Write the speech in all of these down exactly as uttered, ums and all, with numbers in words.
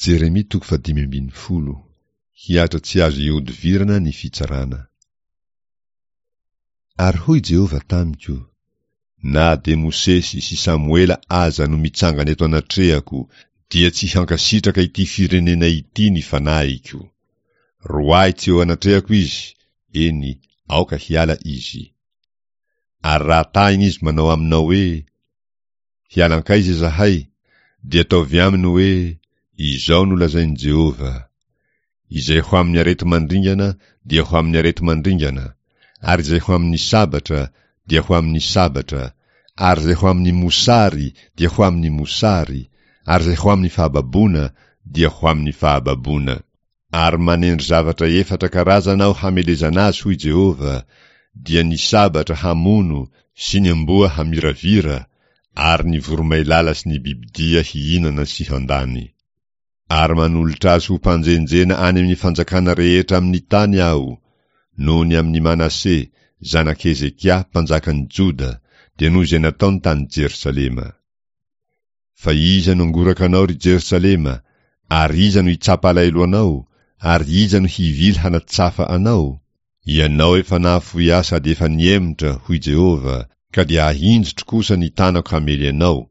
Jeremia toko fahadimy ambin'ny folo. Hihatra tsy azo ihodivirana ny fitsarana. Ary hoy Jehovah tamiko, Na dia Mosesy sy Samoela aza no mitsangana eto anatrehako, dia tsy hankasitraka ity firenena ity ny fanahiko. Roahy tsy eo anatrehako izy, eny, aoka hiala izy. Ary raha tahina izy manao aminao hoe, Hiala hankaiza izahay? Dia ataovy aminy hoe, Izao no lazain'i Jehovah, Izay ho amin'ny areti-mandringana dia ho amin'ny areti-mandringana, ary izay ho amin'ny sabatra dia ho amin'ny sabatra, ary izay ho amin'ny mosary dia ho amin'ny mosary, ary izay ho amin'ny fahababoana dia ho amin'ny fahababoana. Ary manendry zavatra efatra karazana aho hamelezana azy, hoy Jehovah, dia ny sabatra hamono sy ny amboa hamiravira ary ny voromailala sy ny bibidia hihinana sy handany. Ary manolotra azy ho mpanjenjena any amin'ny fanjakana rehetra amin'ny tany aho, noho ny amin'i Manase, zanak'i Hezekia, mpanjakan'i Joda, dia noho izay nataony tany Jerosalema. Fa iza no hangoraka anao, ry Jerosalema, ary iza no hitsapa alahelo anao, ary iza no hivily hanatsafa anao? Ianao efa nahafoy ahy sady efa nihemotra, hoy Jehovah, ka dia ahinjitro kosa ny tanako hamely anao,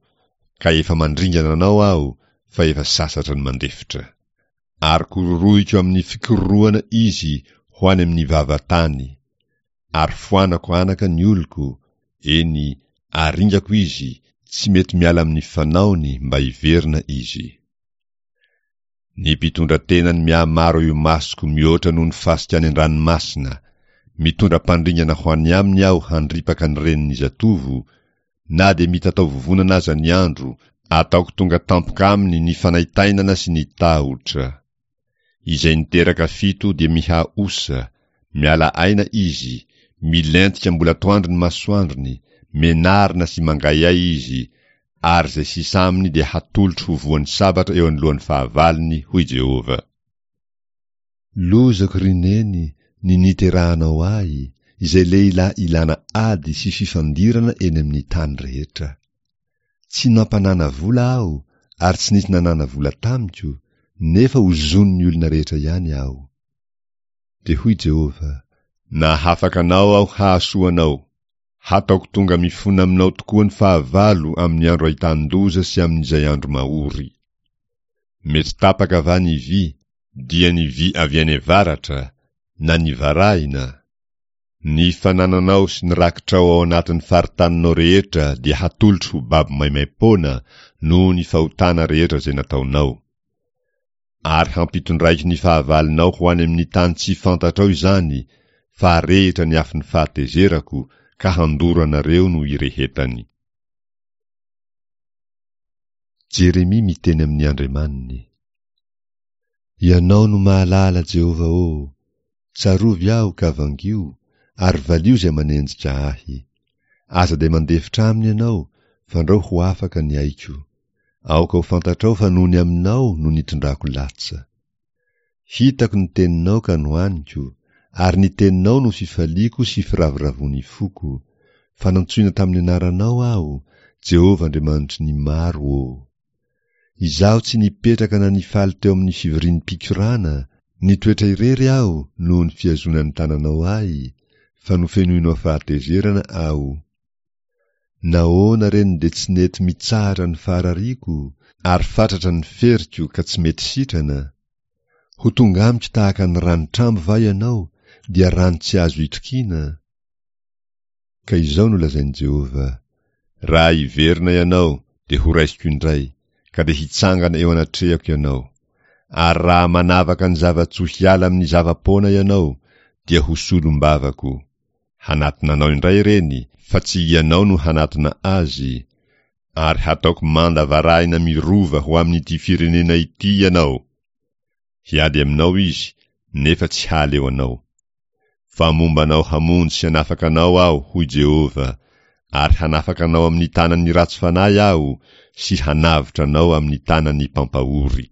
ka efa mandringana anao aho, fa efa sasatra ny mandefitra. Ary kororohiko amin'ny fikororohana izy ho any amin'ny vava-tany. Ary foanako anaka ny oloko, eny, aringako izy, tsy mety miala amin'ny fanaony mba hiverina izy. Ny mpitondra tenany mihamaro eo imasoko mihoatra noho ny fasika any an-dranomasina, mitondra mpandringana ho any aminy aho handripaka ny renin'ny zatovo, na dia mitatao vovonana aza ny andro, ataoko tonga tampoka aminy ny fanaintainana sy ny tahotra. Izay niteraka fito dia miha-osa, miala aina izy, milentika mbola atoandro ny masoandrony, menarina sy mangaihay izy, ary izay sisa aminy dia hatolotro ho voan'ny sabatra eo anoloan'ny fahavalony, hoy Jehovah. Lozako, ry neny, ny niterahanao ahy, izay lehilahy ilana ady sy fifandirana eny amin'ny tany rehetra. Tsy nampanana vola aho ary tsy nisy nanana vola tamiko, nefa ozonin'ny olona rehetra ihany aho. Dia hoy Jehovah, Nahafaka anao aho hahasoa anao. Hataoko tonga mifona aminao tokoa ny fahavalo amin'ny andro ahitan-doza sy amin'izay andro mahory. Mety tapaka va ny vy, dia ny vy avy any avaratra, na ny varahina? Ny fanananao sy ny rakitrao ao anatin'ny faritaninao rehetra dia hatolotro ho babo maimaim-poana noho ny fahotana rehetra izay nataonao. Ary hampitondraiko ny fahavalonao ho any amin'ny tany tsy fantatrao izany, fa arehitra ny afon'ny fahatezerako, ka handoro anareo no irehetany. Jeremia miteny amin'ny Andriamaniny. Ianao no mahalala, Jehovah ô! Tsarovy aho ka vangio, ary valio izay manenjika ahy. Aza dia mandefitra aminy ianao, fandrao ho afaka ny aiko. Aoka ho fantatrao fa noho ny aminao no nitondrako latsa. Hitako ny teninao ka nohaniko, ary ny teninao no fifaliako sy firavoravoan'ny foko, fa nantsoina tamin'ny anaranao aho, Jehovah Andriamanitry ny maro ô. Izaho tsy nipetraka na nifaly teo amin'ny fivorian'ny mpikorana, nitoetra irery aho noho ny fihazonan'ny tananao ahy, fa nofenoinao fahatezerana aho. Nahoana re no dia tsy nety mitsahatra ny faharariako, ary fatratra ny feriko ka tsy mety sitrana? Ho tonga amiko tahaka ny ranotrambo va ianao, dia rano tsy azo itokiana? Ka izao no lazain'i Jehovah, Raha hiverina ianao, dia horaisiko indray, ka dia hitsangana eo anatrehako ianao. Ary raha manavaka ny zava-tsoa hiala amin'ny zava-poana ianao, dia ho solombavako. Hanatona anao indray ireny, fa tsy ianao no hanatona azy, ary hataoko manda varahina mirova ho amin'ity firenena ity ianao. Hiady aminao izy, nefa tsy hahaleo anao. Fa momba anao hamonjy sy hanafaka anao Aho, hoy Jehovah, ary hanafaka anao amin'ny tanan'ny ratsy fanahy Aho sy hanavotra anao amin'ny tanan'ny mpampahory.